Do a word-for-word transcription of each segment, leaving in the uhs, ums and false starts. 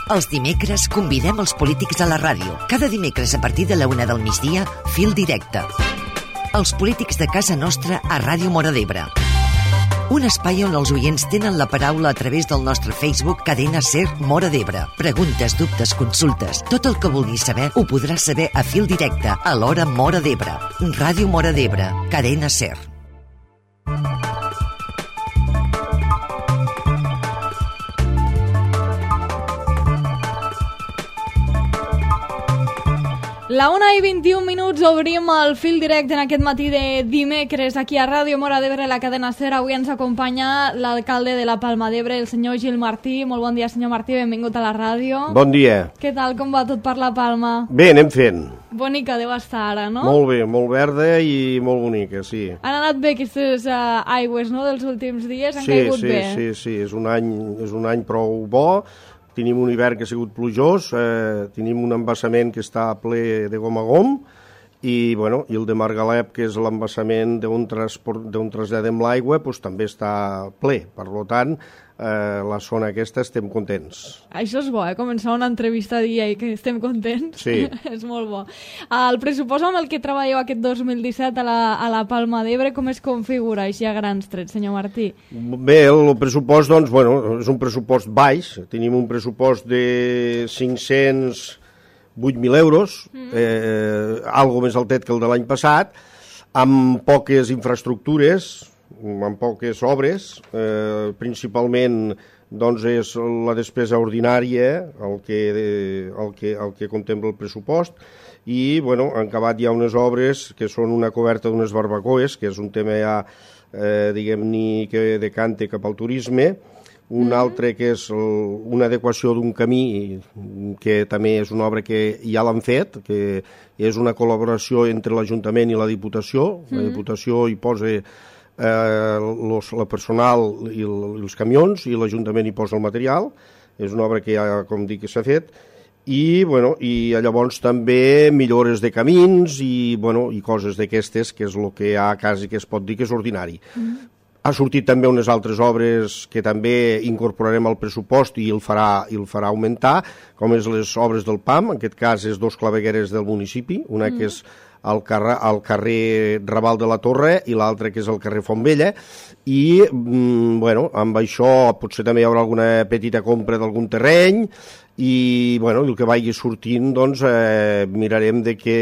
Els dimecres convidem els polítics a la ràdio. Cada dimecres a partir de la una del migdia, Fil Directe. Els polítics de casa nostra a Ràdio Móra d'Ebre. Un espai on els oients tenen la paraula a través del nostre Facebook Cadena Ser Móra d'Ebre. Preguntes, dubtes, consultes, tot el que vulguis saber ho podràs saber a Fil Directe a l'hora Móra d'Ebre. Ràdio Móra d'Ebre, Cadena Ser. La una i vint-i-un minuts obrim el Fil Directe en aquest matí de dimecres aquí a Ràdio Móra d'Ebre, la cadena Ser. Avui ens acompanya l'alcalde de la Palma d'Ebre, el senyor Gil Martí. Molt bon dia, senyor Martí, benvingut a la ràdio. Bon dia. Què tal, com va tot per la Palma? Bé, anem fent. Bonica deu estar ara, no? Molt bé, molt verda i molt bonica, sí. Han anat bé aquestes uh, aigües, no?, dels últims dies? Han sí, caigut sí, bé? Sí, sí, sí, és un any, és un any prou bo. Tenim un hivern que ha sigut plujós, eh, tenim un embassament que està ple de gom a gom i, bueno, i el de Margalep, que és l'embassament d'on traslladem l'aigua, doncs, també està ple. Per tant, eh, la zona aquesta estem contents. Això és bo, eh? Començar una entrevista dient que estem contents. Sí. És molt bo. El pressupost amb el que treballeu aquest dos mil disset a la, a la Palma d'Ebre, com es configura així a grans trets, senyor Martí? Bé, el pressupost, doncs, bueno, és un pressupost baix. Tenim un pressupost de cinc-cents vuit mil euros, mm. eh, algo més altet que el de l'any passat, amb poques infraestructures, amb poques obres, eh, principalment doncs, és la despesa ordinària el que, el que, el que contempla el pressupost i bueno, han acabat ja unes obres que són una coberta d'unes barbacoes, que és un tema ja, eh, diguem-ne, que decanta cap al turisme, un mm-hmm. altre que és el, una adequació d'un camí que també és una obra que ja l'han fet, que és una col·laboració entre l'Ajuntament i la Diputació. Mm-hmm. La Diputació hi posa eh, los, la personal i, el, i els camions i l'Ajuntament hi posa el material. És una obra que ja, com dic, que s'ha fet. I, bueno, i llavors també millores de camins i, bueno, i coses d'aquestes, que és el que hi ha quasi que es pot dir que és ordinari. Mm-hmm. Ha sortit també unes altres obres que també incorporarem al pressupost i el farà, i el farà augmentar, com és les obres del P A M, en aquest cas és dos clavegueres del municipi, una mm. que és al carrer, al carrer Raval de la Torre i l'altra que és al carrer Fontvella, i mm, bueno, amb això potser també hi haurà alguna petita compra d'algun terreny, i bueno, el que vagi sortint doncs, eh, mirarem de que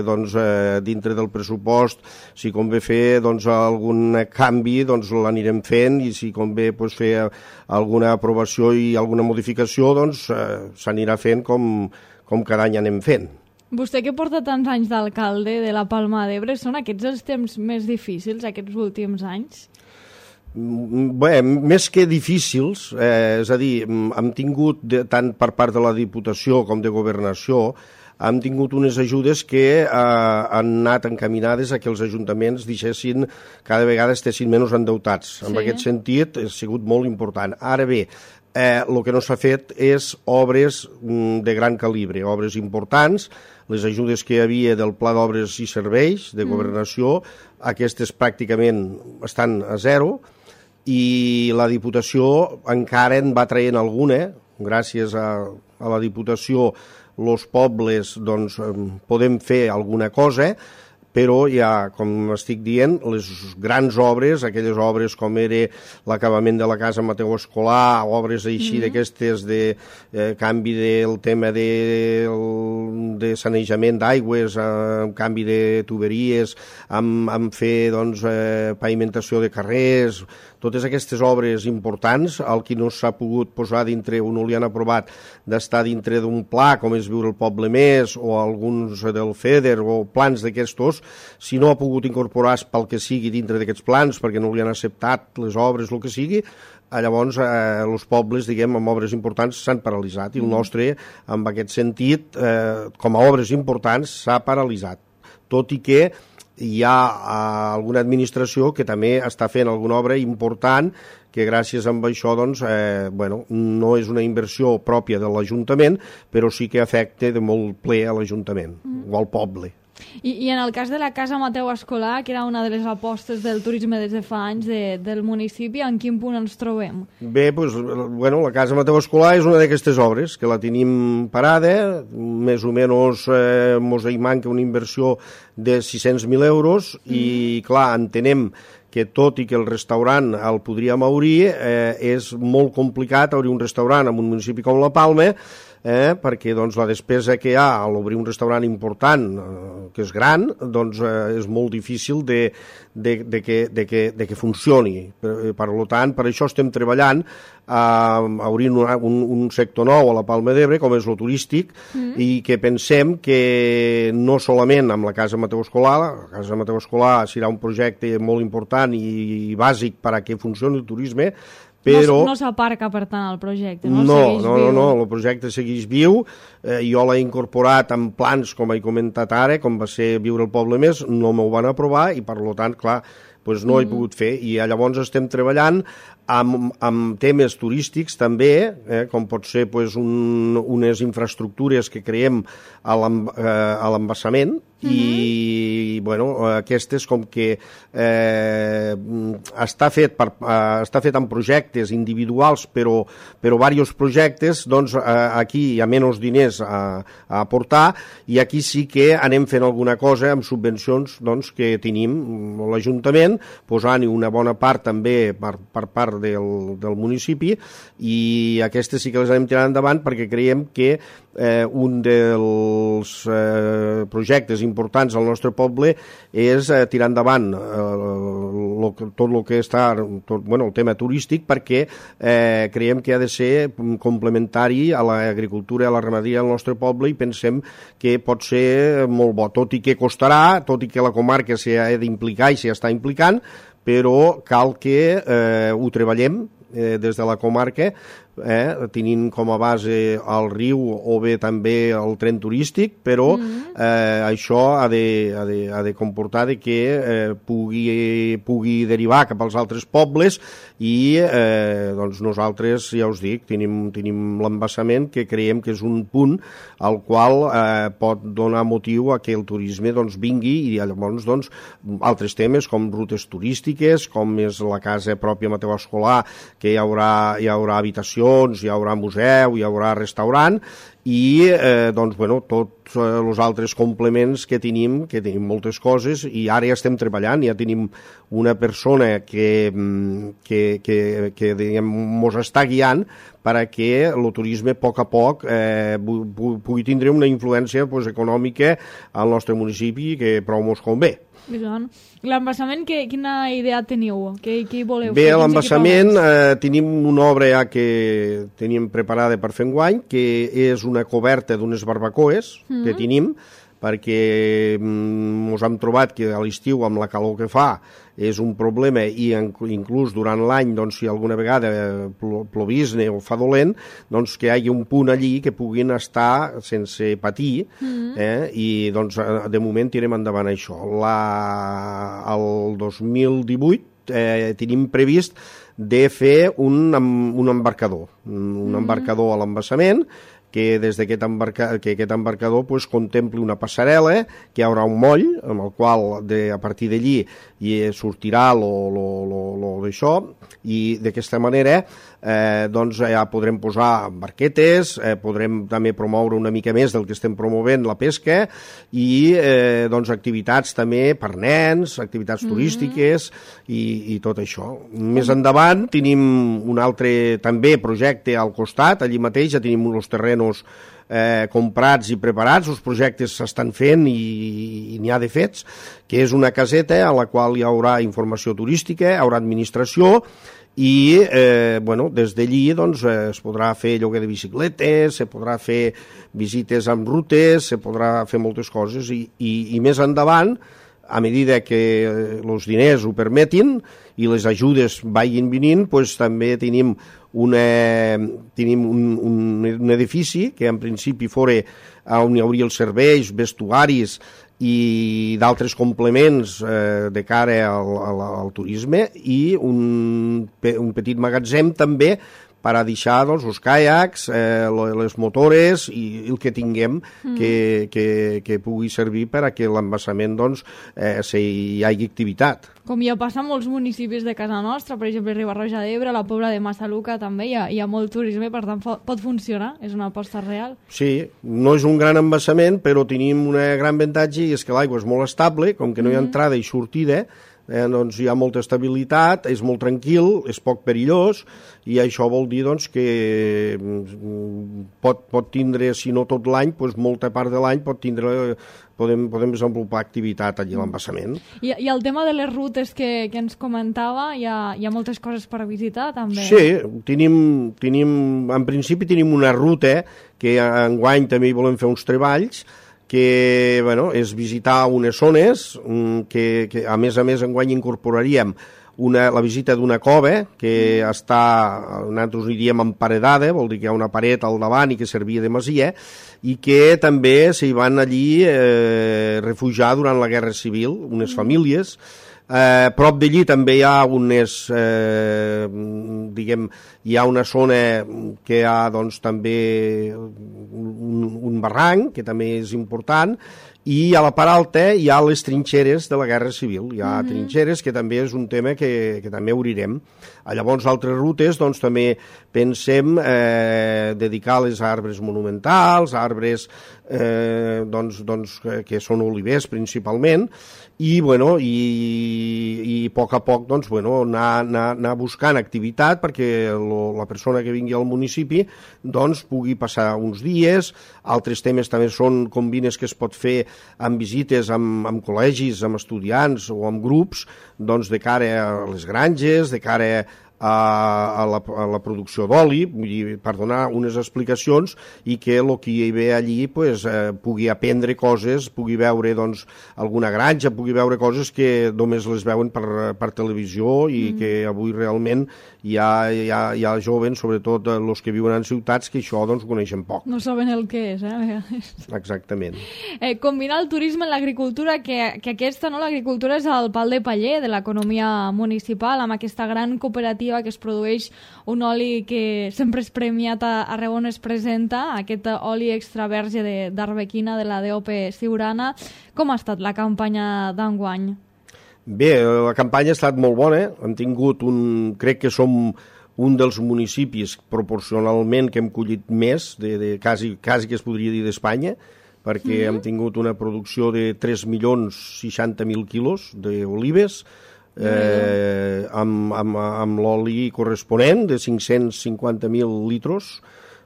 doncs, eh, dintre del pressupost si convé fer doncs, algun canvi doncs, l'anirem fent i si convé doncs, fer alguna aprovació i alguna modificació doncs, eh, s'anirà fent com, com cada any anem fent. Vostè que porta tants anys d'alcalde de la Palma d'Ebre, són aquests els temps més difícils aquests últims anys? Bé, més que difícils, eh, és a dir, hem tingut, de, tant per part de la Diputació com de Governació, hem tingut unes ajudes que eh, han anat encaminades a que els ajuntaments deixessin, cada vegada estessin menys endeutats. Sí. En aquest sentit, ha sigut molt important. Ara bé, eh, el que no s'ha fet és obres mm, de gran calibre, obres importants. Les ajudes que hi havia del Pla d'Obres i Serveis de Governació, mm. aquestes pràcticament estan a zero, i la Diputació encara en va traient alguna, gràcies a, a la Diputació els pobles doncs, podem fer alguna cosa, però ja, com estic dient, les grans obres, aquelles obres com era l'acabament de la casa Mateu Escolar, obres així mm-hmm. d'aquestes de eh, canvi del tema de, de sanejament d'aigües, eh, canvi de tuberies, amb, amb fer doncs, eh, pavimentació de carrers, totes aquestes obres importants, el que no s'ha pogut posar dintre, o no li han aprovat d'estar dintre d'un pla, com és Viure el Poble Més, o alguns del FEDER, o plans d'aquestos, si no ha pogut incorporar pel que sigui dintre d'aquests plans, perquè no li han acceptat les obres, el que sigui, llavors eh, els pobles, diguem, amb obres importants s'han paralitzat, i el nostre, en aquest sentit, eh, com a obres importants, s'ha paralitzat. Tot i que hi ha alguna administració que també està fent alguna obra important que gràcies a això doncs, eh, bueno, no és una inversió pròpia de l'Ajuntament, però sí que afecta de molt ple a l'Ajuntament mm. o al poble. I, I en el cas de la Casa Mateu Escolar, que era una de les apostes del turisme des de fa anys de, del municipi, en quin punt ens trobem? Bé, doncs, bueno, la Casa Mateu Escolar és una d'aquestes obres, que la tenim parada, més o menys eh, mos hi manca una inversió de sis-cents mil euros, mm. i clar, entenem que tot i que el restaurant el podríem obrir, eh, és molt complicat obrir un restaurant en un municipi com La Palma, eh, perquè doncs, la despesa que hi ha a l'obrir un restaurant important, eh, que és gran, doncs eh, és molt difícil de, de, de, que, de, que, de que funcioni. Per, per tant, per això estem treballant a obrir un, un, un sector nou a la Palma d'Ebre, com és el turístic, mm. i que pensem que no solament amb la Casa Mateu Escolar, la Casa Mateu Escolar serà un projecte molt important i, i bàsic per a que funcioni el turisme, però... No, no s'aparca, per tant, el projecte, no? No, no, no, no, el projecte segueix viu. Eh, jo l'he incorporat en plans, com he comentat ara, com va ser Viure el Poble Més, no m'ho van aprovar i, per tant, clar, doncs no mm. he pogut fer. I llavors estem treballant amb, amb temes turístics també, eh, com pot ser pues, un, unes infraestructures que creem a l'embassament, mm-hmm. i bueno, aquestes com que eh, està fet per, eh, està fet en projectes individuals, però, però diversos projectes, doncs eh, aquí hi ha menys diners a, a aportar, i aquí sí que anem fent alguna cosa amb subvencions doncs, que tenim l'Ajuntament, posant-hi una bona part també per, per part del, del municipi, i aquestes sí que les anem tirant endavant perquè creiem que eh, un dels eh, projectes importants al nostre poble és eh, tirar endavant eh, lo, tot el que està tot, bueno, el tema turístic, perquè eh, creiem que ha de ser complementari a l'agricultura i a la ramaderia del nostre poble, i pensem que pot ser molt bo, tot i que costarà, tot i que la comarca s'ha d'implicar i s'hi està implicant, però cal que eh, ho treballem eh, des de la comarca, eh, tenint com a base el riu o bé també el tren turístic, però mm-hmm. eh, això ha de, ha, de, ha de comportar de que eh, pugui, pugui derivar cap als altres pobles, i eh, doncs nosaltres, ja us dic, tenim, tenim l'embassament, que creiem que és un punt al qual eh, pot donar motiu a que el turisme doncs, vingui, i llavors doncs, altres temes com rutes turístiques, com és la casa pròpia Mateu Escolar, que hi haurà, hi haurà habitació, hi haurà museu, hi haurà restaurant, i eh, doncs, bueno, tots eh, els altres complements que tenim, que tenim moltes coses, i ara ja estem treballant, ja tenim una persona que, que, que, que diguem, mos està guiant per a que el turisme a poc a poc eh, pugui tindre una influència pues, econòmica al nostre municipi, que prou mos convé. L'embassament, quina idea teniu? Què, què voleu Bé, fer? a l'embassament eh, tenim una obra ja que teníem preparada per fer enguany, que és una coberta d'unes barbacoes mm-hmm. que tenim, perquè mm, ens hem trobat que a l'estiu, amb la calor que fa, és un problema, i inclús durant l'any, doncs, si alguna vegada plovisne o fa dolent, doncs que hi hagi un punt allí que puguin estar sense patir, mm-hmm. eh? I doncs de moment tirem endavant això. La, el dos mil divuit eh, tenim previst de fer un, un embarcador, un mm-hmm. embarcador a l'embassament, que des d'aquest embarca, que aquest embarcador pues, contempli una passarel·la, que hi haurà un moll, amb el qual de, a partir d'allí hi sortirà lo, lo, lo, lo d'això, i d'aquesta manera eh, doncs ja podrem posar barquetes, eh, podrem també promoure una mica més del que estem promovent la pesca, i eh, doncs activitats també per nens, activitats mm-hmm. turístiques, i, i tot això. Més endavant tenim un altre també projecte al costat, allí mateix ja tenim uns terrenos eh, comprats i preparats, els projectes s'estan fent i, i n'hi ha de fets, que és una caseta a la qual hi haurà informació turística, hi haurà administració, i eh, bueno, des d'allí doncs, eh, es podrà fer lloguer de bicicletes, se podrà fer visites amb rutes, se podrà fer moltes coses, i, i, i més endavant, a mesura que els diners ho permetin i les ajudes vagin venint, doncs, també tenim, una, tenim un, un, un edifici que en principi fora on hi hauria els serveis, vestuaris i d'altres complements eh, de cara al, al, al turisme, i un, un petit magatzem també per a deixar doncs, els caiacs, eh, les motores i el que tinguem mm. que, que, que pugui servir per a que l'embassament doncs, eh, si hi hagi activitat. Com ja passa en molts municipis de casa nostra, per exemple, Riba-roja d'Ebre, la Pobla de Massaluca també hi ha, hi ha molt turisme, per tant pot funcionar, és una aposta real. Sí, no és un gran embassament, però tenim una gran avantatge i és que l'aigua és molt estable, com que no hi ha entrada i sortida, eh, doncs hi ha molta estabilitat, és molt tranquil, és poc perillós, i això vol dir doncs, que pot, pot tindre, si no tot l'any, doncs molta part de l'any pot tindre... Podem, podem desenvolupar activitat allà a l'embassament. I, I el tema de les rutes que, que ens comentava, hi ha, hi ha moltes coses per visitar, també? Sí, tenim, tenim, en principi tenim una ruta que enguany també hi volem fer uns treballs, que bueno, és visitar unes zones que, que a més a més enguany incorporaríem una, la visita d'una cova que mm. està, nosaltres hi diem emparedada, vol dir que hi ha una paret al davant i que servia de masia, i que també s'hi van allí eh, refugiar durant la Guerra Civil, unes mm. famílies. Eh, prop d'allí també hi ha unes, eh, diguem, hi ha una zona que hi ha doncs, també un, un barranc, que també és important, i a la part alta hi ha les trinxeres de la Guerra Civil. Hi ha mm-hmm. trinxeres, que també és un tema que, que també obrirem. Llavors, altres rutes, doncs, també pensem eh, dedicar les arbres monumentals, arbres eh, doncs, doncs, que són olivers principalment, i, bueno, i, i a poc a poc doncs, bueno, anar, anar, anar buscant activitat perquè lo, la persona que vingui al municipi doncs, pugui passar uns dies. Altres temes també són combines que es pot fer amb visites amb, amb col·legis, amb estudiants o amb grups, doncs, de cara a les granges, de cara a A la, a la producció d'oli, per donar unes explicacions i que el que hi ve allí pues, eh, pugui aprendre coses, pugui veure doncs, alguna granja, pugui veure coses que només les veuen per, per televisió i mm. que avui realment hi ha, hi ha, hi ha jovens, sobretot els que viuen en ciutats, que això doncs, ho coneixen poc. No saben el que és, eh? Exactament. Eh, combinar el turisme amb l'agricultura, que, que aquesta, no, l'agricultura és el pal de paller de l'economia municipal, amb aquesta gran cooperativa que es produeix un oli que sempre és premiat arreu on es presenta, aquest oli extra verge d'arbequina de, de la D O P Siurana. Com ha estat la campanya d'enguany? Bé, la campanya ha estat molt bona. Hem tingut un... Crec que som un dels municipis proporcionalment que hem collit més, de, de quasi, quasi que es podria dir d'Espanya, perquè mm-hmm. hem tingut una producció de tres milions seixanta mil quilos d'olives, Eh, amb, amb, amb l'oli corresponent de cinc-cents cinquanta mil litros.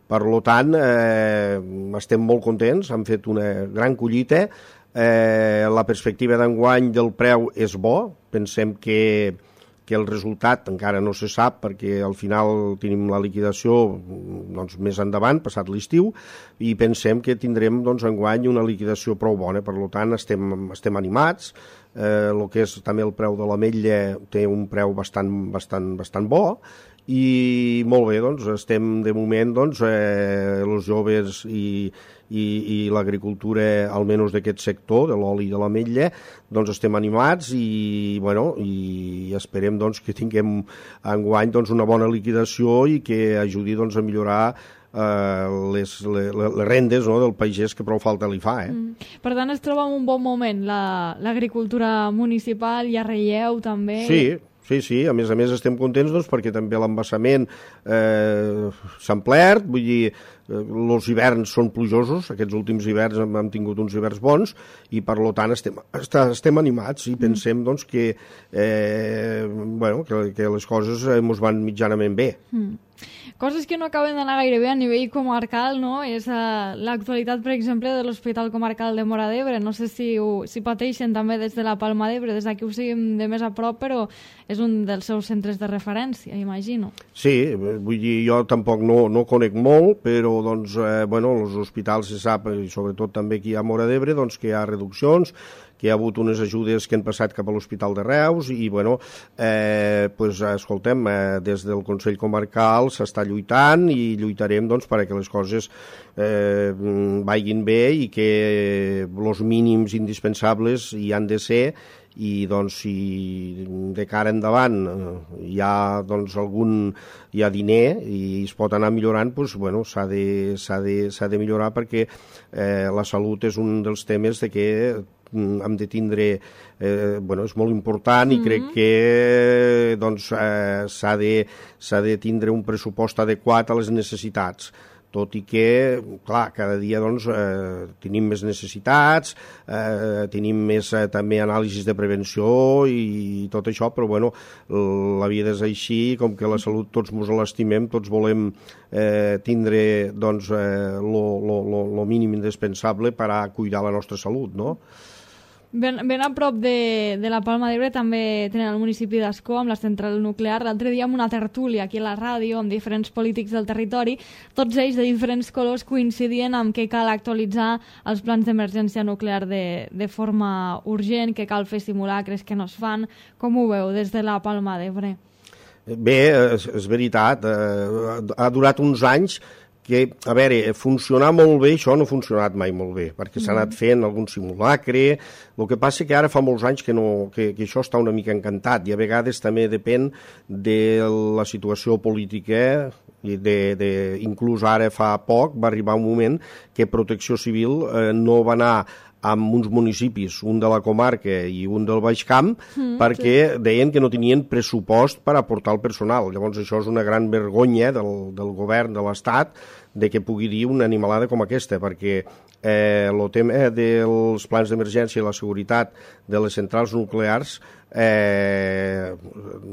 Per tant, eh, estem molt contents, hem fet una gran collita. Eh, la perspectiva d'enguany del preu és bo, pensem que, que el resultat encara no se sap perquè al final tenim la liquidació doncs, més endavant, passat l'estiu, i pensem que tindrem doncs, enguany una liquidació prou bona. Per tant, estem, estem animats. Eh, el que és també el preu de l'ametlla té un preu bastant, bastant, bastant bo i molt bé, doncs estem de moment doncs, eh, els joves i, i, i l'agricultura almenys d'aquest sector de l'oli i de l'ametlla doncs estem animats i, bueno, i esperem doncs, que tinguem enguany doncs, una bona liquidació i que ajudi doncs, a millorar Uh, les, les, les rendes, no, del pagès que prou falta li fa. Eh? Mm. Per tant, es troba en un bon moment l'agricultura la, municipal, hi ha relleu també. Sí, sí, sí, a més a més estem contents doncs, perquè també l'embassament eh, s'ha omplert, vull dir, els eh, hiverns són plujosos, aquests últims hiverns hem, hem tingut uns hiverns bons i per tant estem, estem animats i pensem mm. doncs, que, eh, bueno, que, que les coses ens van mitjanament bé. Mm. Coses que no acaben d'anar gaire bé a nivell comarcal, no? És uh, l'actualitat, per exemple, de l'Hospital Comarcal de Móra d'Ebre. No sé si, ho, si pateixen també des de la Palma d'Ebre, des d'aquí ho seguim de més a prop, però és un dels seus centres de referència, imagino. Sí, vull dir, jo tampoc no, no conec molt, però doncs, eh, bueno, els hospitals se sap, i sobretot també aquí a Móra d'Ebre, doncs que hi ha reduccions, que hi ha hagut unes ajudes que han passat cap a l'Hospital de Reus i, bueno, eh, pues, escoltem, eh, des del Consell Comarcal s'està lluitant i lluitarem doncs, perquè les coses eh, vagin bé i que els mínims indispensables hi han de ser i doncs si de cara endavant hi ha doncs algun hi ha diner i es pot anar millorant, doncs bueno, s'ha de, s'ha de, s'ha de millorar perquè eh, la salut és un dels temes de que hem de tindre, eh, bueno, és molt important i mm-hmm. crec que doncs eh, s'ha de, s'ha de tindre un pressupost adequat a les necessitats, tot i que, clar, cada dia doncs, eh, tenim més necessitats, eh, tenim més eh, també anàlisis de prevenció i tot això, però bueno, la vida és així, com que la salut tots ens l'estimem, tots volem eh, tindre doncs, eh, lo, lo, lo, lo mínim indispensable per a cuidar la nostra salut, no? Ben, ben a prop de, de la Palma d'Ebre també tenen el municipi d'Ascó amb la central nuclear. L'altre dia amb una tertúlia aquí a la ràdio amb diferents polítics del territori, tots ells de diferents colors coincidien amb que cal actualitzar els plans d'emergència nuclear de, de forma urgent, que cal fer simulacres que no es fan. Com ho veu des de la Palma d'Ebre? Bé, és, és veritat. Eh, ha durat uns anys que, a veure, funcionar molt bé, això no ha funcionat mai molt bé, perquè s'ha anat fent algun simulacre. El que passa que ara fa molts anys que, no, que, que això està una mica encantat i a vegades també depèn de la situació política i de, de, inclús ara fa poc va arribar un moment que Protecció Civil eh, no va anar amb uns municipis, un de la comarca i un del Baix Camp, mm, perquè sí. deien que no tenien pressupost per aportar el personal. Llavors això és una gran vergonya del, del govern de l'Estat de que pugui dir una animalada com aquesta, perquè eh, el tema dels plans d'emergència i la seguretat de les centrals nuclears eh,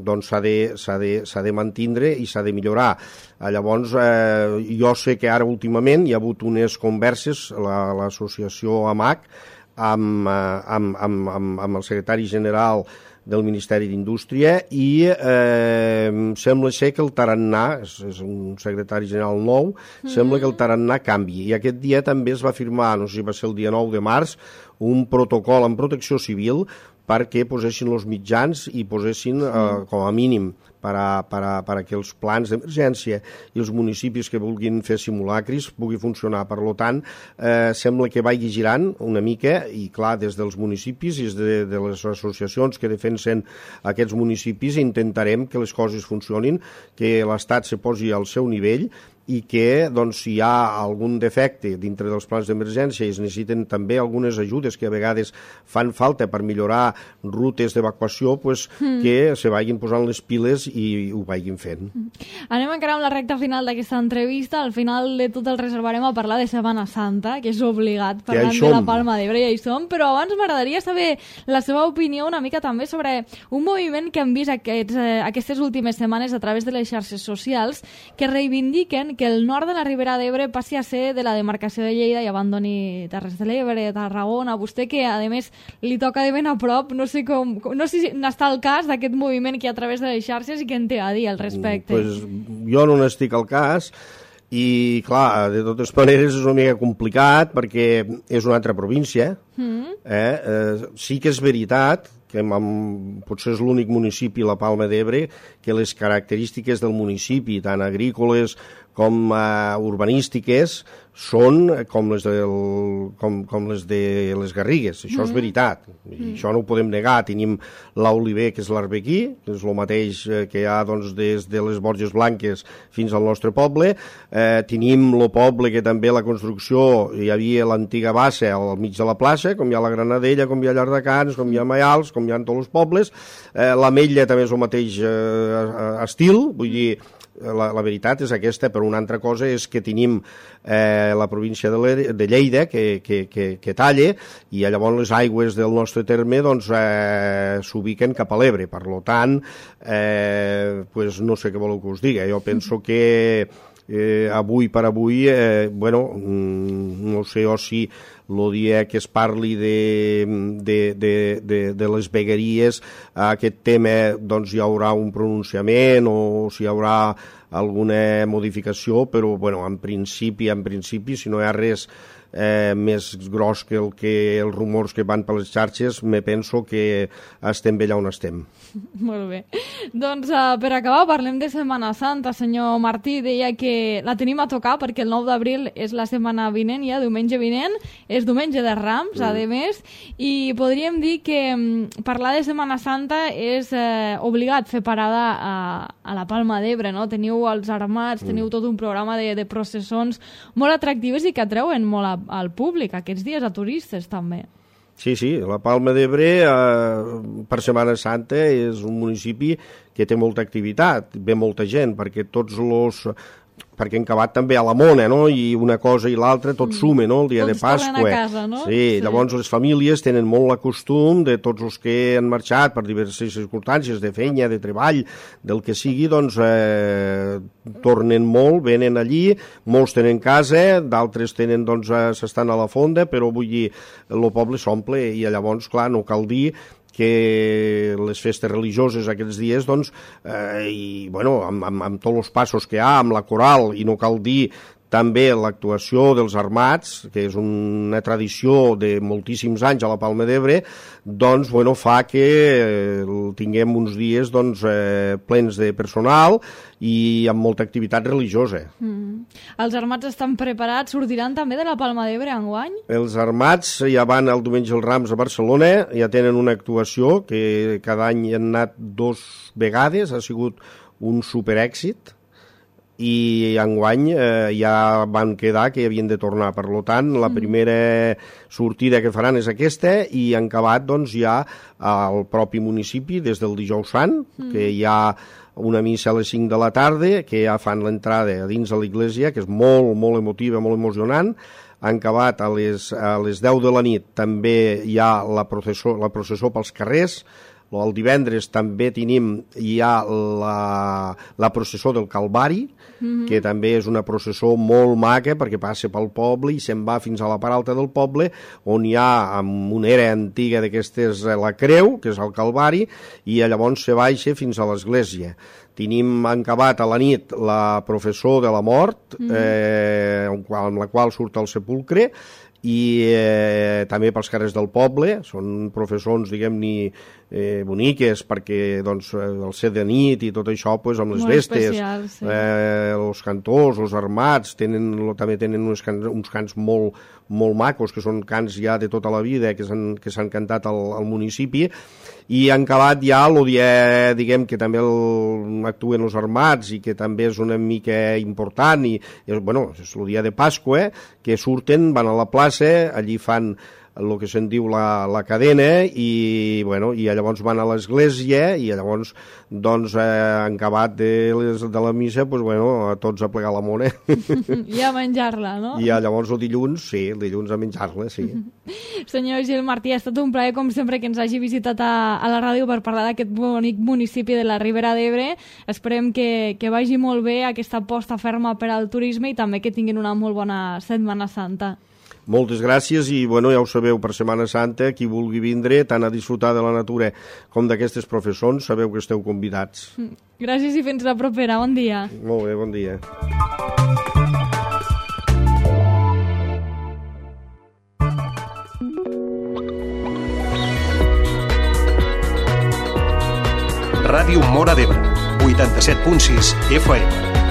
doncs s'ha de, s'ha de, s'ha de mantindre i s'ha de millorar. Eh, llavors, eh, jo sé que ara últimament hi ha hagut unes converses, la, l'associació AMAC, amb, amb, amb, amb, amb el secretari general del Ministeri d'Indústria i eh, sembla ser que el tarannà, és, és un secretari general nou, mm. sembla que el tarannà canvi. I aquest dia també es va firmar, no sé si va ser el dia nou de març, un protocol amb Protecció Civil perquè posessin els mitjans i posessin, eh, com a mínim, per a, per a, per a que els plans d'emergència i els municipis que vulguin fer simulacris pugui funcionar. Per tant, eh, sembla que vagi girant una mica i, clar, des dels municipis i des de, de les associacions que defensen aquests municipis intentarem que les coses funcionin, que l'Estat se posi al seu nivell i que, doncs, si hi ha algun defecte dintre dels plans d'emergència i es necessiten també algunes ajudes que a vegades fan falta per millorar rutes d'evacuació, pues, mm. que se vagin posant les piles i ho vagin fent. Anem encara amb la recta final d'aquesta entrevista. Al final de tot el reservarem a parlar de Setmana Santa, que és obligat, parlant de la Palma d'Ebre, ja hi som, però abans m'agradaria saber la seva opinió una mica també sobre un moviment que hem vist aquests, eh, aquestes últimes setmanes a través de les xarxes socials que reivindiquen que el nord de la Ribera d'Ebre passi a ser de la demarcació de Lleida i abandoni Terres de l'Ebre, Tarragona. Vostè, que a més li toca de ben a prop, no sé com, no sé si n'està al cas d'aquest moviment que hi ha a través de les xarxes i què en té a dir al respecte. Pues jo no n'estic al cas i, clar, de totes maneres és una mica complicat perquè és una altra província. Mm. Eh? Eh, sí que és veritat que amb, potser és l'únic municipi, la Palma d'Ebre, que les característiques del municipi, tant agrícoles com uh, urbanístiques, són com les, del, com, com les de les Garrigues. Això mm. és veritat. I mm. això no ho podem negar. Tenim l'Oliver, que és l'Arbequí, que és el mateix que hi ha doncs, des de les Borges Blanques fins al nostre poble. Eh, tenim el poble que també la construcció, hi havia l'antiga bassa al mig de la plaça, com hi ha la Granadella, com hi ha Llardecans, com hi ha Maials, com hi ha en tots els pobles. Eh, l'Ametlla també és el mateix eh, estil, vull dir, La, la veritat és aquesta, però una altra cosa és que tenim eh, la província de, de Lleida que, que, que, que talla i llavors les aigües del nostre terme doncs, eh, s'ubiquen cap a l'Ebre. Per tant, eh, pues no sé què voleu que us digui. Jo penso que eh, avui per avui, eh, bueno, no sé o si el dia que es parli de, de, de, de, de les vegueries, aquest tema doncs, hi haurà un pronunciament o si hi haurà alguna modificació, però bueno, en principi, en principi, si no hi ha res eh, més gros que, el que els rumors que van per les xarxes, me penso que estem bé allà on estem. Molt bé. Doncs uh, per acabar parlem de Setmana Santa. Senyor Martí deia que la tenim a tocar perquè el nou d'abril és la setmana vinent, ja diumenge vinent, és diumenge de Rams, mm. a més, i podríem dir que um, parlar de Setmana Santa és eh, obligat fer parada a, a la Palma d'Ebre, no? Teniu els armats, mm. teniu tot un programa de, de processons molt atractives i que atreuen molt a, al públic aquests dies, a turistes també. Sí, sí, la Palma d'Ebre eh, per Setmana Santa és un municipi que té molta activitat, ve molta gent, perquè tots els... perquè en acabat també a la Mona, no? I una cosa i l'altra tot mm. sume, no? El dia tots de Pasqua. Tots tornen a casa, no? Sí, sí, llavors les famílies tenen molt la costum de tots els que han marxat per diverses circumstàncies, de feina, de treball, del que sigui, doncs eh, tornen molt, venen allí, molts tenen casa, d'altres tenen, doncs, eh, s'estan a la fonda, però vull dir, el poble s'omple i llavors, clar, no cal dir que les festes religioses aquests dies, doncs, eh, i, bueno, amb, amb, amb tots els passos que hi ha, amb la coral, i no cal dir també l'actuació dels armats, que és una tradició de moltíssims anys a la Palma d'Ebre, doncs, bueno, fa que tinguem uns dies, doncs, eh, plens de personal i amb molta activitat religiosa. Mm. Els armats estan preparats? Sortiran també de la Palma d'Ebre enguany? Els armats ja van el diumenge als Rams a Barcelona, ja tenen una actuació que cada any hi han anat dos vegades, ha sigut un superèxit, i enguany eh, ja van quedar que havien de tornar. Per tant, la primera sortida que faran és aquesta i han acabat, doncs, ja al propi municipi des del dijous sant, mm. que hi ha una missa a les cinc de la tarda, que ja fan l'entrada a dins de l'església, que és molt, molt emotiva, molt emocionant. Han acabat a les, a les deu de la nit, també hi ha la processó, la processó pels carrers. El divendres també tenim ja la, la processó del Calvari, mm-hmm. que també és una processó molt maca perquè passa pel poble i se'n va fins a la part alta del poble, on hi ha amb una era antiga d'aquestes la creu, que és el Calvari, i llavors se baixa fins a l'església. Tenim acabat a la nit la processó de la mort, mm-hmm. eh, amb la qual surt el sepulcre, i eh, també pels carrers del poble, són professors, diguem-ne, eh, boniques, perquè doncs, el set de nit i tot això, pues, amb les molt vestes, especial, sí. eh, els cantors, els armats, tenen, també tenen uns cants, uns cants molt, molt macos, que són cants ja de tota la vida, que s'han que s'han cantat al, al municipi, i han acabat ja el dia, diguem, que també el, actuen els armats i que també és una mica important, i és, bueno, és el dia de Pasqua, que surten, van a la plaça, allí fan el que se'n diu la, la cadena, i, bueno, i llavors van a l'església, i llavors, doncs, eh, han acabat de, les, de la missa, pues, bueno, a tots a plegar la mona. I a menjar-la, no? I llavors el dilluns, sí, el dilluns a menjar-la, sí. Senyor Gil Martí, ha estat un plaer, com sempre, que ens hagi visitat a, a la ràdio per parlar d'aquest bonic municipi de la Ribera d'Ebre. Esperem que, que vagi molt bé aquesta aposta ferma per al turisme i també que tinguin una molt bona Setmana Santa. Moltes gràcies i, bueno, ja ho sabeu, per Setmana Santa, qui vulgui vindre, tant a disfrutar de la natura com d'aquestes professons, sabeu que esteu convidats. Gràcies i fins la propera. Bon dia. Molt bé, bon dia. Ràdio Móra d'Ebre, vuitanta-set punt sis F M.